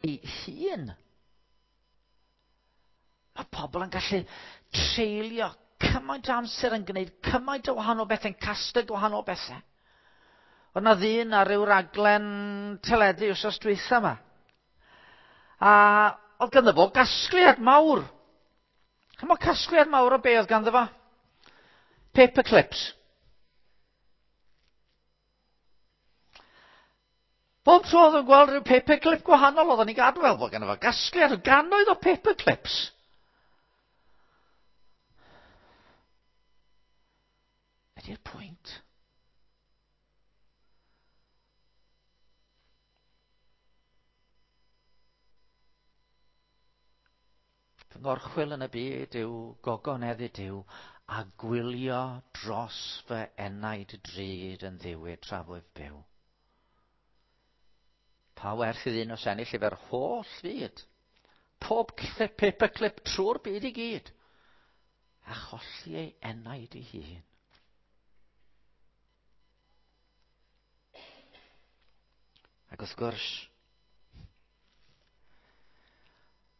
ei hun. Mae pobl yn gallu treulio cymaint o amser yn gwneud cymaint o wahanol bethau, yn casglu gwahanol bethau. Oedd na ddyn ar ryw raglen teledu wsos dwytha yma. A oedd ganddo fo gasgliad mawr. Chymod casgliad mawr o be oedd ganddo fo? Paper clips. Bob tro oedd yn gweld rhyw paperclip gwahanol oedd o'n ei gadw fel bod ganddo fo gasgliad o gannoedd o paperclips. Be di'r pwynt? Fy ngorchwyl yn y byd yw gogoneddu Duw a gwylio dros fy enaid drud yn ddiwyd tra fwyf byw. Pa werth i ddyn os ennill efo'r holl fyd? Pob paperclip trwy'r byd i gyd. A cholli ei enaid ei hun. Ac wrth gwrs,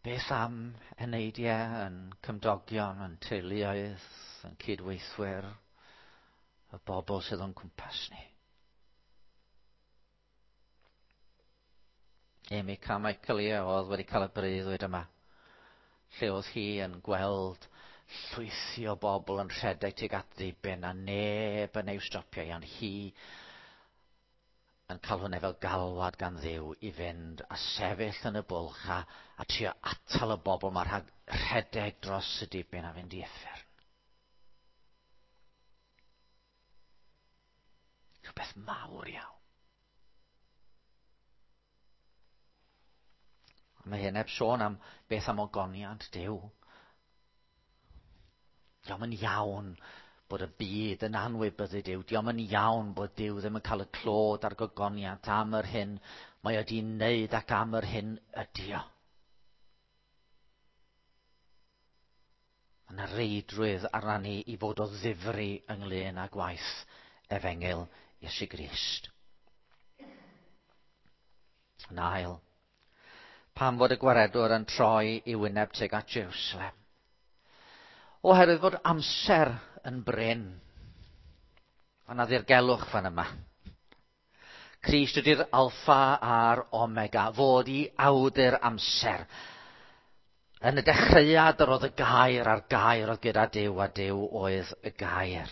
beth am eneidiau yn cymdogion, yn teuluoedd, yn cydweithwyr, y bobl sydd o'n cwmpas ni? Amy Carmichael ie, oedd wedi cael y breuddwyd yma, lle oedd hi yn gweld llwythi o bobl yn rhedeg tuag at ddiben a neb yn ei stopio hi, ond hi yn cael hwnna fel galwad gan Dduw i fynd a sefyll yn y bwlch a, a trio atal y bobl mae rhag rhedeg dros y dibyn a fynd i uffern. Rhywbeth mawr iawn. Mae hyn heb sôn am beth am ogoniant Duw. Diolch yn iawn bod y byd yn anwybyddu Duw. Diolch yn iawn bod Duw ddim yn cael y clod a'r gogoniant am yr hyn mae wedi wneud ac am yr hyn ydi o. Mae yna reidrwydd arna ni i fod o ddifri ynglyn â gwaith efengyl Iesu Grist. Yn ail, pam fod y gwaredwr yn troi i wyneb tuag at Jerusalem? Oherwydd fod amser yn brin. Mae yna ddirgelwch fan yma. Crist ydy'r alffa a'r omega, fod i awdur amser. Yn y dechreuad yr oedd y gair a'r gair oedd gyda Duw a Duw oedd y gair.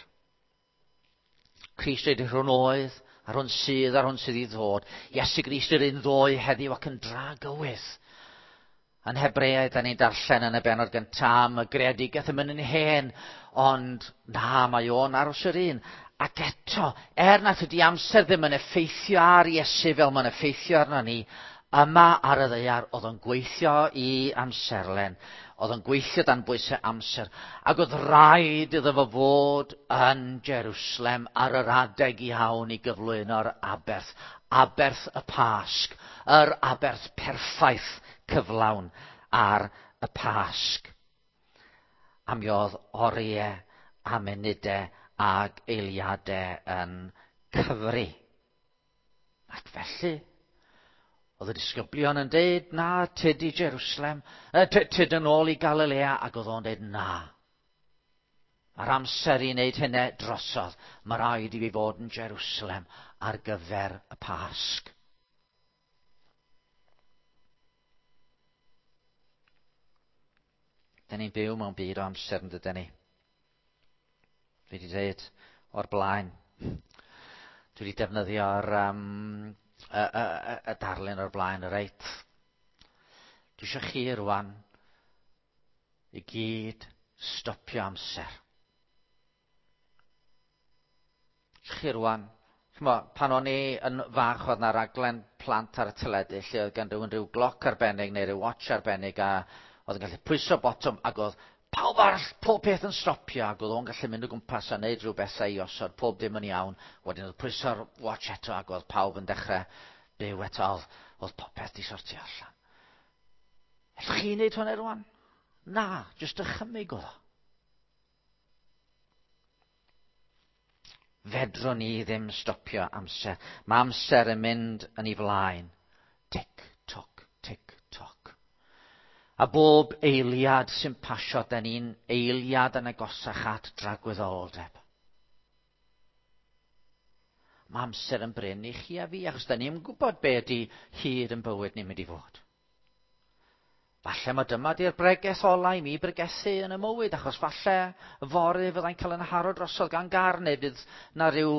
Crist ydy'r hwn oedd, a'r hwn sydd, a'r hwn sydd i ddod. Iesu Grist yr un ddoe heddiw ac yn dragywydd. Yn Hebreaid, da ni'n darllen yn y benod gyntaf am y greadigaeth yn mynd yn hen, ond na, mae o'n aros yr un. Ac eto, er nad ydy amser ddim yn effeithio ar Iesu fel mae'n effeithio arno ni, yma ar y ddaear oedd o'n gweithio i amserlen, oedd o'n gweithio dan bwysau amser, ac oedd rhaid iddo fo fod yn Jerusalem ar yr adeg iawn i gyflwyno'r aberth, aberth y Pasg, yr aberth perffaith cyflawn ar y Pasg. A mi oedd oriau a munudau ag eiliadau yn cyfri. Ac felly, oedd y disgyblion yn deud, na, tyd i Jerusalem, tyd yn ôl i Galilea, ac oedd o'n deud, na. Mae'r amser i wneud hynny drosodd. Mae rhaid i fi fod yn Jerusalem ar gyfer y Pasg. Da ni'n byw mewn byd o amser yn dydyn ni. Dwi wedi dweud o'r blaen. Dwi wedi defnyddio'r um, y, y, y, y darlun o'r blaen, reit. Dwi eisiau chi rwan i gyd stopio amser. Chi rwan, ch'mo, pan o'n i yn fach oedd 'na raglen plant ar y teledu lle oedd gan rywun rhyw gloc arbennig neu rhyw watch arbennig a oedd yn gallu pwyso botwm ac oedd pawb arall, pob peth yn stopio ac oedd o'n gallu mynd o gwmpas a neud rhyw bethau i osod pob dim yn iawn. Wedyn oedd pwyso'r watch eto ac oedd pawb yn dechrau byw eto, oedd, oedd popeth di sortio allan. Ellwch chi wneud hwnna rwan? Na, jyst dychymyg oedd o. Fedrwn ni ddim stopio amser. Mae amser yn mynd yn ei flaen. Tic, toc, tic, A bob eiliad sy'n pasio, da ni'n eiliad yn agosach at dragwyddoldeb. Mae amser yn brin i chi a fi, achos da ni'n gwybod be ydy hyd yn bywyd ni'n mynd i fod. Falle mae dyma di'r bregeth ola i mi bregethu yn y mywyd, achos falle fory fyddai'n cael yn haro drosodd gan gar, neu fydd na rhyw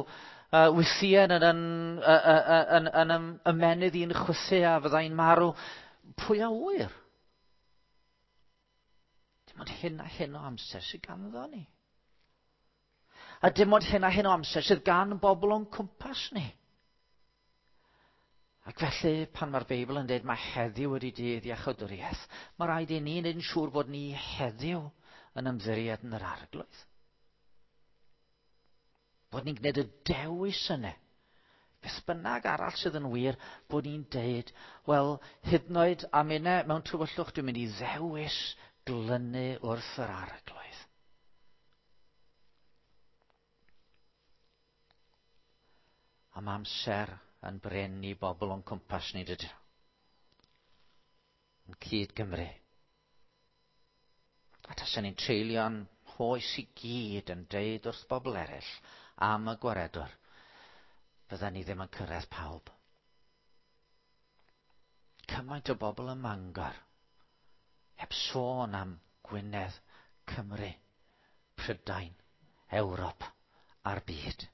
wythien yn, yn, yn, yn, yn ymenydd i'n chwythu a fyddai'n marw. Pwy a ŵyr? Dim ond hyn a hyn o amser sydd ganddo ni. A dim ond hyn a hyn o amser sydd gan bobl o'n cwmpas ni. Ac felly, pan mae'r Beibl yn dweud mae heddiw wedi dydd iachawdwriaeth, mae rhaid i ni wneud yn siŵr bod ni heddiw yn ymddiried yn yr arglwydd. Bod ni'n gwneud y dewis yna. Beth bynnag arall sydd yn wir, bod ni'n deud, wel, hyd yn oed am unne mewn tywyllwch, dwi'n mynd i ddewis glynu wrth yr arglwydd. A mae amser yn brin i bobl o'n cwmpas ni, dydyn. Yn cyd Gymru. A tasen ni'n treulio'n hoes i gyd yn deud wrth bobl eraill am y gwaredwr, fydden ni ddim yn cyrraedd pawb. Cymaint o bobl ym Mangor, heb sôn am Gwynedd, Cymru, Prydain, Ewrop a'r byd.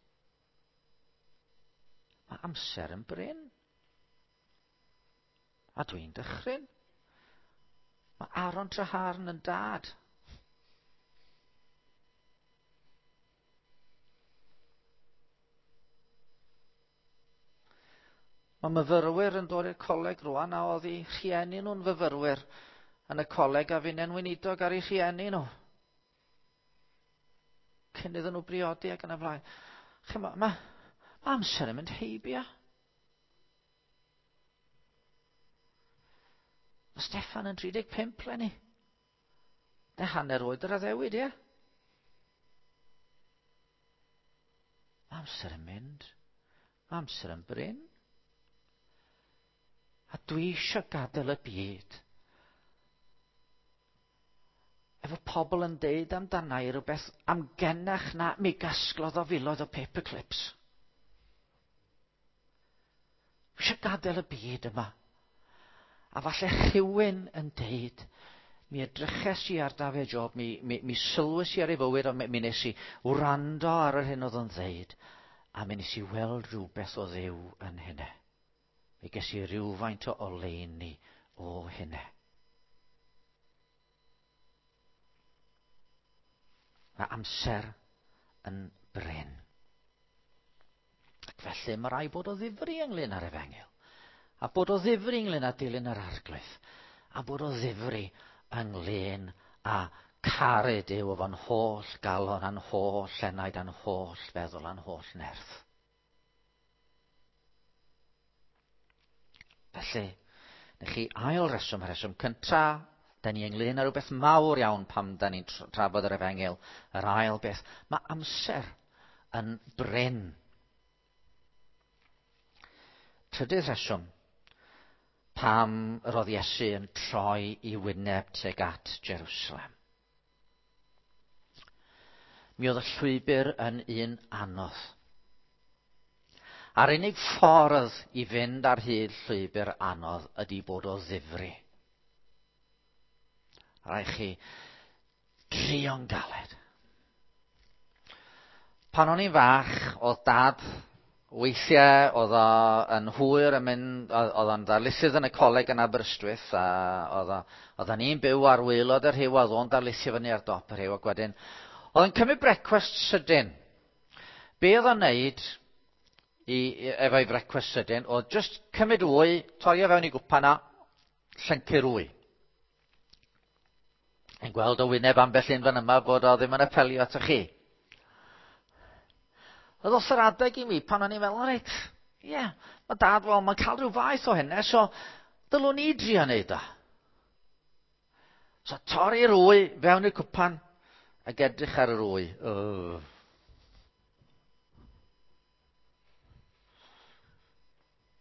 Mae amser yn brin. A dwi'n dychryn. Mae Aaron Trahaearn yn dad. Mae myfyrwyr yn dod i'r coleg rwan a oedd eu rhieni nhw'n fyfyrwyr yn y coleg a finnau'n weinidog ar eu rhieni nhw. Cyn iddyn nhw briodi ac yn y blaen. Chimod, mae, mae amser yn mynd heibio. Mae Steffan yn 35 leni. Na hanner oed yr addewid, ie? Mae amser yn mynd. Mae amser yn brin. A dwi eisiau gadael y byd. Efo pobl yn deud amdana i rhywbeth amgenach na mi gasglodd o filoedd o paperclips. Dwi eisiau gadael y byd yma. A falle rhywun yn deud, mi edryches i ar Dafydd Job, mi, mi, mi sylwys i ar ei fywyd, ond mi, mi nes i wrando ar yr hyn oedd o'n ddeud, a mi nes i weld rhywbeth o Dduw yn hynny. Mi ges i rywfaint o oleuni o hynny. Mae amser yn brin. Ac felly mae rhaid bod o ddifri ynglyn â'r efengyl. A bod o ddifri ynglyn â dilyn yr arglwydd. A bod o ddifri ynglyn â caru Duw efo'n holl galon a'n holl enaid a'n holl feddwl a'n holl nerth. Felly, neu chi ail reswm, y rheswm cynta, da ni ynglyn â rhywbeth mawr iawn pam da ni'n trafod yr efengyl. Yr ail beth, mae amser yn brin. Trydydd rheswm, pam yr oedd Iesu yn troi i wyneb tuag at Jerusalem. Mi oedd y llwybr yn un anodd. A'r unig ffordd i fynd ar hyd llwybr anodd ydy bod o ddifri. Rhaid chi drio'n galed. Pan o'n i'n fach, oedd dad weithiau oedd o yn hwyr yn mynd, oedd o'n ddarlithydd yn y coleg yn Aberystwyth, a oedd o, oedden ni'n byw ar waelod y rhiw, oedd o'n darlithio fyny ar dop y rhiw, ac wedyn, oedd o'n cymryd brecwast sydyn. Be oedd o'n neud i, efo'i frecwast sydyn, oedd just cymryd wy, torri o fewn i gwpan a llyncu'r wy. Yn gweld o wyneb ambell un fan yma bod o ddim yn apelio atoch chi. Oedd os yr adeg i mi pan o'n i'n meddwl, reit, ie, yeah, mae dad, wel, mae'n cael rhyw faeth o hynny, so dylwn i drio wneud o. So torri'r wy fewn i'r cwpan ac edrych ar yr wy. Oh.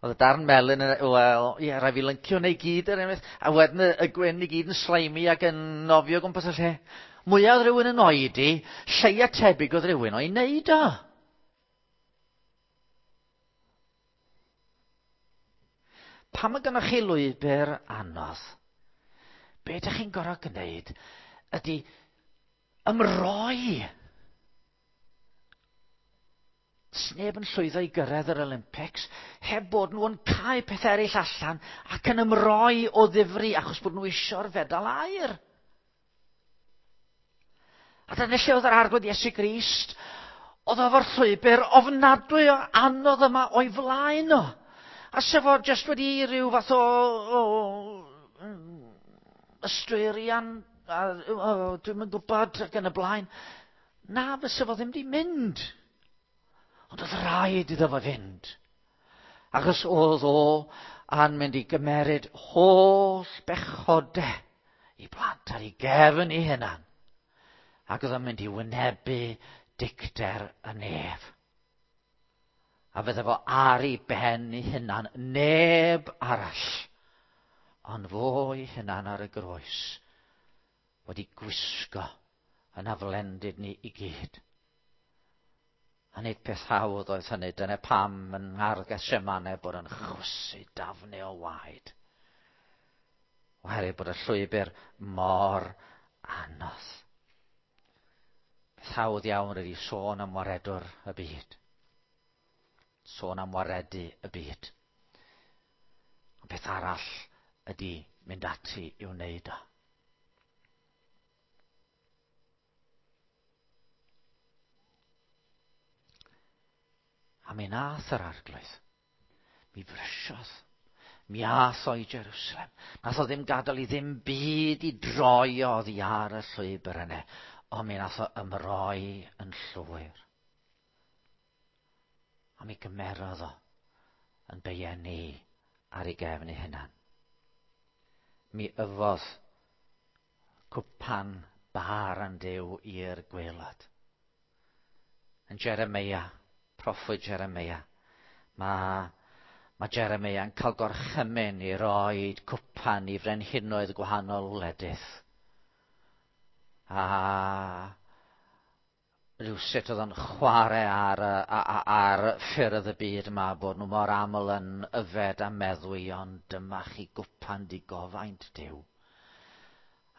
Oedd y darn melyn yn, wel, ie, rhaid fi lyncio neu gyd er enghraifft, a wedyn y gwyn i gyd yn slimy ac yn nofio gwmpas y lle. Mwyaf oedd rhywun yn oedi, lleia tebyg oedd rhywun o'i wneud o. Pam mae gennych chi lwybr anodd, be ydych chi'n gorfod gwneud ydy ymroi. Sneb yn llwyddo i gyrraedd yr Olympics heb bod nhw yn cau pethau eraill allan ac yn ymroi o ddifri achos bod nhw eisiau'r fedal aur. A dyna lle oedd yr Arglwydd Iesu Grist. Oedd o efo'r llwybr ofnadwy o anodd yma o'i flaen o. A sef o jyst wedi rhyw fath o ystwyrian, dwi'm yn gwybod ac yn y blaen. Na, fysa fo ddim wedi mynd. Ond oedd rhaid iddo fo fynd. Achos oedd o a'n mynd i gymeryd holl bechodau i blant ar ei gefn ei hunan. Ac oedd o'n mynd i wynebu dicter y nef. A fydde fo ar ei ben ei hunan, neb arall, ond fo ei hunan ar y groes, wedi gwisgo yn aflendid ni i gyd. A nid peth hawdd oedd hynny, dyna pam yn ngardd Gethsemane bod yn chwysu dafnau o waed. Oherwydd bod y llwybr mor anodd. Peth hawdd iawn ydy sôn am waredwr y byd. Sôn am waredu y byd. Ond peth arall ydy mynd ati i'w wneud o. A mi nath yr Arglwydd. Mi frysiodd. Mi ath o i Jerusalem. Nath o ddim gadael i ddim byd i droi o oddi ar y llwybr yna. Ond mi nath o ymroi yn llwyr. A mi gymerodd o yn beieni ar ei gefn ei hunan. Mi yfodd cwpan bar yn Duw i'r gwaelod. Yn Jeremia, proffwyd Jeremia, mae Jeremia yn cael gorchymyn i roi cwpan i frenhinoedd gwahanol wledydd. A rhywsut oedd o'n chwarae ar ffyrdd y byd yma, bod nhw mor aml yn yfed a meddwi, ond dyma chi gwpan digofaint Duw.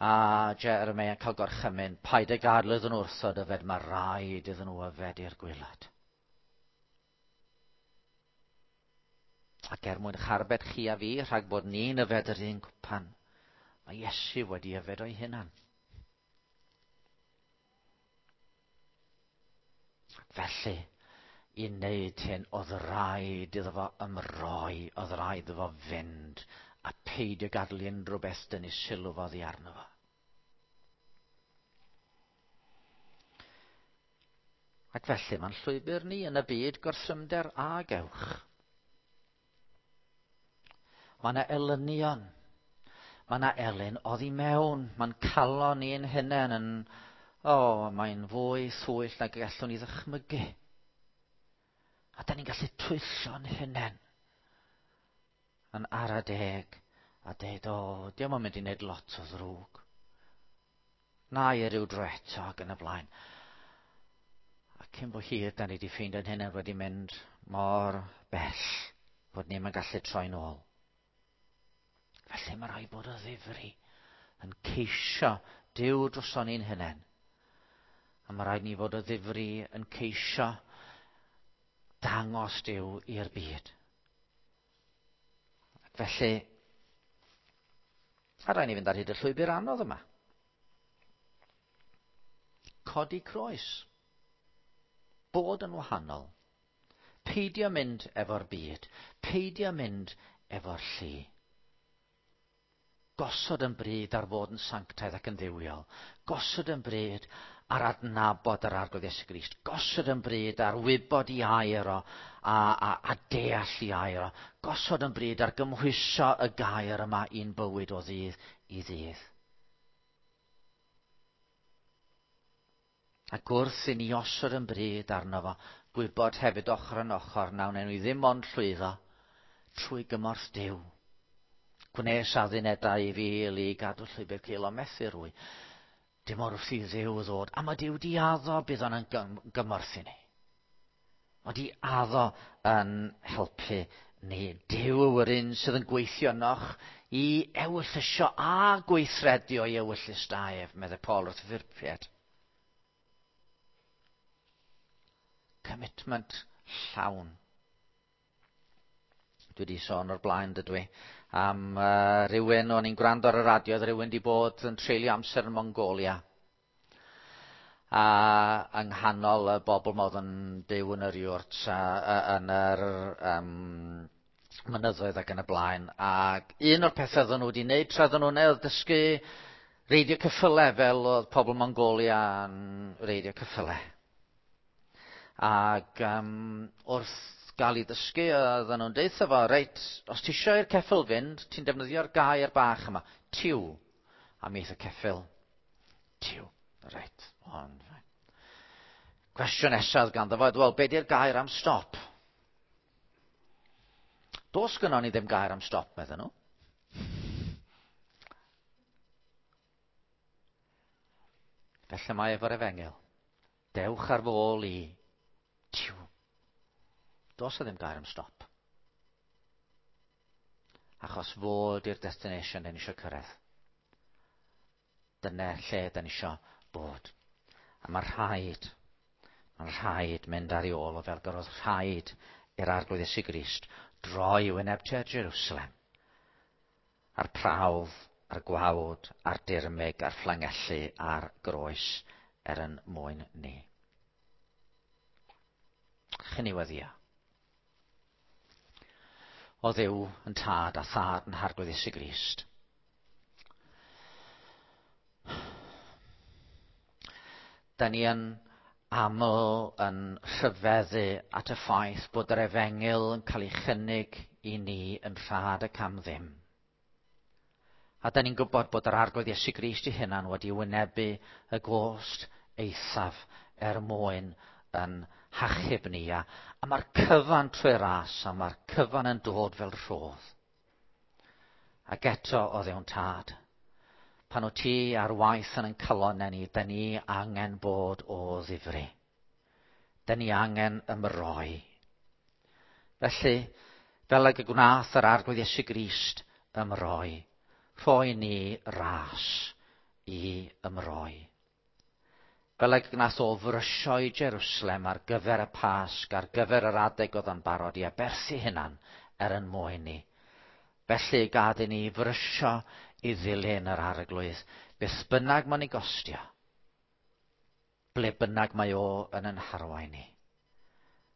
A Jeremia yn cael gorchymyn, paid â gadael iddyn nhw wrthod yfed, mae rhaid iddyn nhw yfed i'r gwaelod. Ac er mwyn charbed chi a fi, rhag bod ni'n yfed yr un cwpan, mae Iesu wedi yfed o'i hunan. Ac felly, i wneud hyn, oedd rhaid iddo fo ymroi, oedd rhaid iddo fo fynd, a peidio gadael i unrhyw beth dynnu sylw fo oddi arno fo. Ac felly, mae'n llwybr ni yn y byd gorthrymder a gewch. Mae yna elynion. Mae yna elyn oddi mewn. Mae'n calon ni'n hunain yn, mae'n fwy thwyll nag y gallwn ni ddychmygu. A da ni'n gallu twyllo'n hunain yn ara deg a deud, diolch yn mynd i wneud lot o ddrwg. Na i ryw dro eto ac yn y blaen. A cyn bo hir, da ni wedi ffeindio'n hunain wedi mynd mor bell bod ni'm yn gallu troi'n ôl. Felly mae rhaid bod o ddifri yn ceisio Duw droson ni'n hunain. A mae rhaid ni fod o ddifri yn ceisio dangos Duw i'r byd. Ac felly, a rhaid ni fynd ar hyd y llwybr anodd yma. Codi croes. Bod yn wahanol. Peidio mynd efo'r byd. Peidio mynd efo'r llu. Gosod yn bryd ar fod yn sanctaidd ac yn dduwiol. Gosod yn bryd ar adnabod yr Arglwydd Iesu Grist. Gosod yn bryd ar wybod i air o a deall i air o. Gosod yn bryd ar gymhwyso y gair yma i'n bywyd o ddydd i ddydd. Ac wrth i ni osod yn bryd arno fo, gwybod hefyd ochr yn ochr, na wnawn ni ddim ond llwyddo, Trwy gymorth Duw. Gwnes addunedau i fil i gadw llwybr cul, ond methu rwy. Dim ond wrth i Dduw ddod. A mae Duw di addo bydd o'n gymorth i ni. Mae di addo yn helpu ni. Duw yw'r un sydd yn gweithio ynoch i ewyllysio a gweithredu o'i ewyllys da ef, meddai Paul wrth y Philipiaid. Commitment llawn. Dwi wedi sôn o'r blaen, dydw i, am rhywun, o'n i'n gwrando ar y radio, oedd rhywun wedi bod yn treulio amser yn Mongolia. A yng nghanol y bobl ma oedd yn byw yn yr yurt, a, yn yr mynyddoedd ac yn y blaen. Ac un o'r pethau oedden nhw wedi wneud tra oedden nhw'n oedd dysgu reidio ceffylau fel oedd pobl Mongolia yn reidio ceffylau. Ac wrth gael ei ddysgu, oedden nhw'n deutha fo, reit, os ti eisiau i'r ceffyl fynd, ti'n defnyddio'r gair bach yma, tiw. A mi aeth y ceffyl, tiw. Reit, ond... Cwestiwn nesaf ganddo fo, wel, be di'r gair am stop? Does gynnon ni ddim gair am stop, medden nhw. Felly mae efo'r efengyl. Dewch ar fôl i. Tiw. Does e ddim gair am stop. Achos fod i'r destination da ni eisiau cyrraedd. Dyna lle da ni eisiau bod. A mae'n rhaid mynd ar ei ôl o fel gyrodd rhaid i'r Arglwydd Iesu Grist droi wyneb tua Jerusalem. A'r prawf, a'r gwawd, a'r dirmyg, a'r fflangellu, a'r groes er yn mwyn ni. Chyn i weddio. O Dduw yn tad a thad yn Harglwydd Iesu Grist. Da ni yn aml yn rhyfeddu at y ffaith bod yr efengyl yn cael ei chynnig i ni yn rhad ac am ddim. A da ni'n gwybod bod yr Arglwydd Iesu Grist ei hunan wedi wynebu y gost eithaf er mwyn yn hachub ni. A mae'r cyfan trwy ras, a mae'r cyfan yn dod fel rhodd. Ac eto o Dduw'n tad, pan wyt ti ar waith yn ein calonnau ni, da ni angen bod o ddifri. Da ni angen ymroi. Felly, fel ag y gwnaeth yr Arglwydd Iesu Grist ymroi, rhoi ni ras i ymroi. Fel ag gwnaeth o frysio i Jerusalem ar gyfer y Pasg, ar gyfer yr adeg oedd yn barod i aberthu hunan er yn mwyn ni. Felly gad i ni frysio i ddilyn yr Arglwydd, beth bynnag mae'n ei gostio, ble bynnag mae o yn ein harwain ni.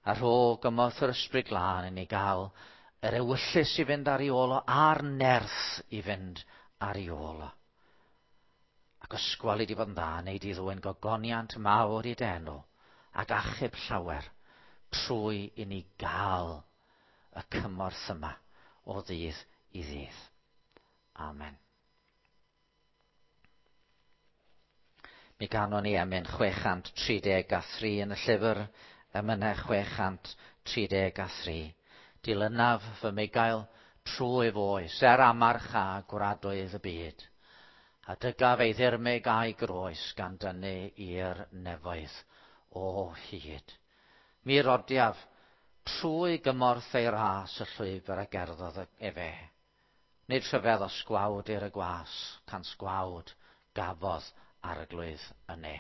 A rho gymorth yr Ysbryd Glân i ni gael yr ewyllys i fynd ar ei ôl o, a'r nerth i fynd ar ei ôl o. Ac ysgwal i di fod yn dda, neu di ddwyn gogoniant mawr i dy enw, ac achub llawer, trwy i ni gael y cymorth yma o ddydd i ddydd. Amen. Mi ganon ni emyn 633 yn y llyfr, emynau 633. Dilynaf fy migael trwy foes, er amarch a gwradoedd y byd. A dygaf ei ddirmyg a'i groes gan dynnu i'r nefoedd o hyd. Mi rodiaf trwy gymorth ei ras y llwybr a gerddodd efe. Nid rhyfedd os gwawd i'r y gwas, cans gwawd gafodd Arglwydd y ne.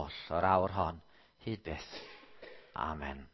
oll o'r awr hon, hyd byth. Amen.